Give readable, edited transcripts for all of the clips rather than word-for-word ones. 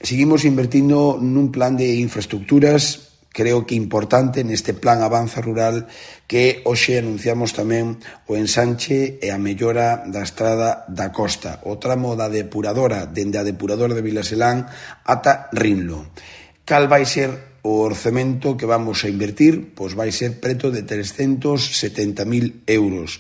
seguimos invertindo nun plan de infraestructuras, creo que importante neste plan Avanza Rural, que hoxe anunciamos tamén o ensanche e a mellora da estrada da costa, o tramo da depuradora, dende a depuradora de Vilaselán ata Rinlo. Cal vai ser o orzamento que vamos a invertir? Pois vai ser preto de 370.000 euros.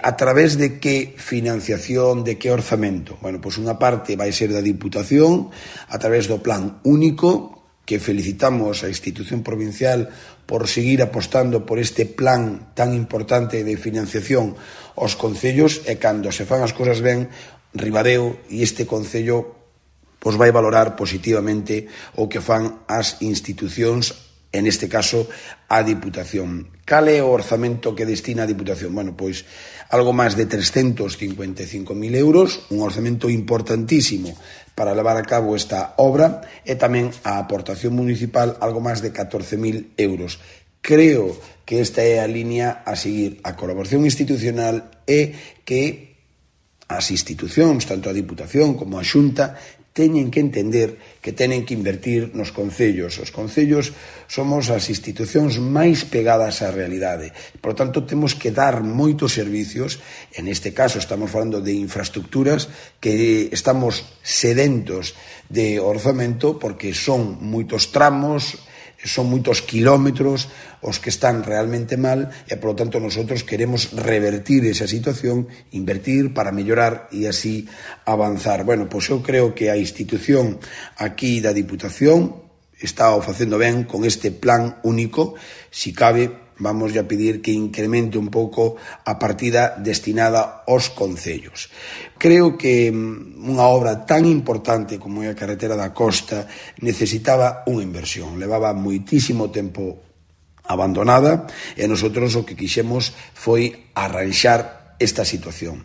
A través de que financiación, de que orzamento? Bueno, pois unha parte vai ser da Diputación, a través do plan único, que felicitamos a institución provincial por seguir apostando por este plan tan importante de financiación aos concellos, e cando se fan as cousas ben, Ribadeo e este concello pois vai valorar positivamente o que fan as institucións, en este caso a Diputación. Cal é o orzamento que destina a Diputación? Bueno, pois algo máis de 355.000 euros, un orzamento importantísimo para levar a cabo esta obra, e tamén a aportación municipal algo máis de 14.000 euros. Creo que esta é a línea a seguir, a colaboración institucional, e que as institucións, tanto a Diputación como a Xunta, teñen que entender que tenen que invertir nos concellos. Os concellos somos as institucións máis pegadas á realidade. Por tanto, temos que dar moitos servicios. En este caso, estamos falando de infraestructuras que estamos sedentos de orzamento porque son moitos tramos, son moitos quilómetros os que están realmente mal, e, por lo tanto, nosotros queremos revertir esa situación, invertir para mellorar e así avanzar. Bueno, pois eu creo que a institución aquí da Diputación está o facendo ben con este plan único. Si cabe, vamos a pedir que incremente un pouco a partida destinada aos concellos. Creo que unha obra tan importante como é a carretera da costa necesitaba unha inversión. Levaba moitísimo tempo abandonada, e nosotros o que quixemos foi arranxar esta situación.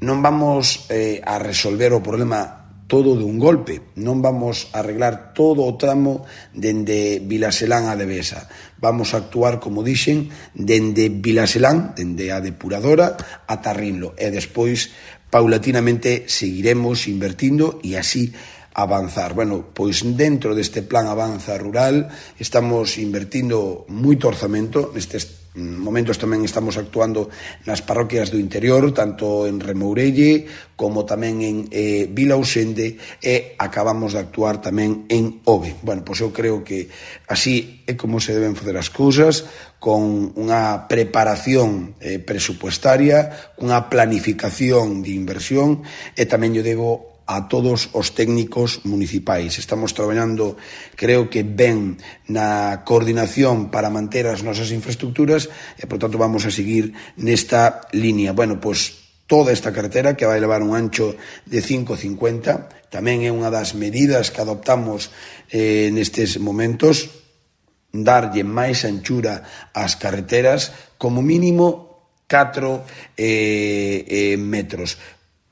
Non vamos a resolver o problema todo de un golpe, non vamos a arreglar todo o tramo dende Vilaselán a Devesa. Vamos a actuar, como dixen, dende Vilaselán, dende a depuradora, ata Rinlo, e despois, paulatinamente, seguiremos invertindo e así avanzar. Bueno, pois dentro deste plan Avanza Rural estamos invertindo moito orzamento. Nestes momentos tamén estamos actuando nas parroquias do interior, tanto en Remourelle como tamén en Vilausende, e acabamos de actuar tamén en Ove. Bueno, pois eu creo que así é como se deben facer as cousas, con unha preparación presupuestaria, unha planificación de inversión, e tamén yo debo a todos os técnicos municipais. Estamos traballando, creo que ben, na coordinación para manter as nosas infraestructuras, e, por tanto, vamos a seguir nesta línea. Bueno, pois toda esta carretera, que vai levar un ancho de 5,50, tamén é unha das medidas que adoptamos nestes momentos, darlle máis anchura ás carreteras, como mínimo 4 metros.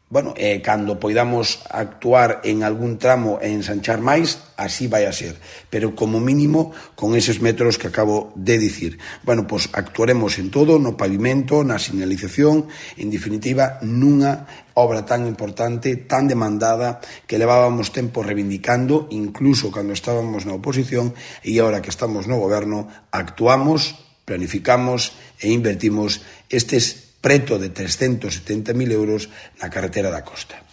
Bueno, cando poidamos actuar en algún tramo e ensanchar máis, así vai a ser. Pero como mínimo, con eses metros que acabo de dicir. Bueno, pois actuaremos en todo, no pavimento, na señalización, en definitiva, nunha obra tan importante, tan demandada, que levábamos tempo reivindicando, incluso cando estábamos na oposición, e agora que estamos no goberno, actuamos, planificamos e invertimos estes preto de 370.000 euros na carretera da costa.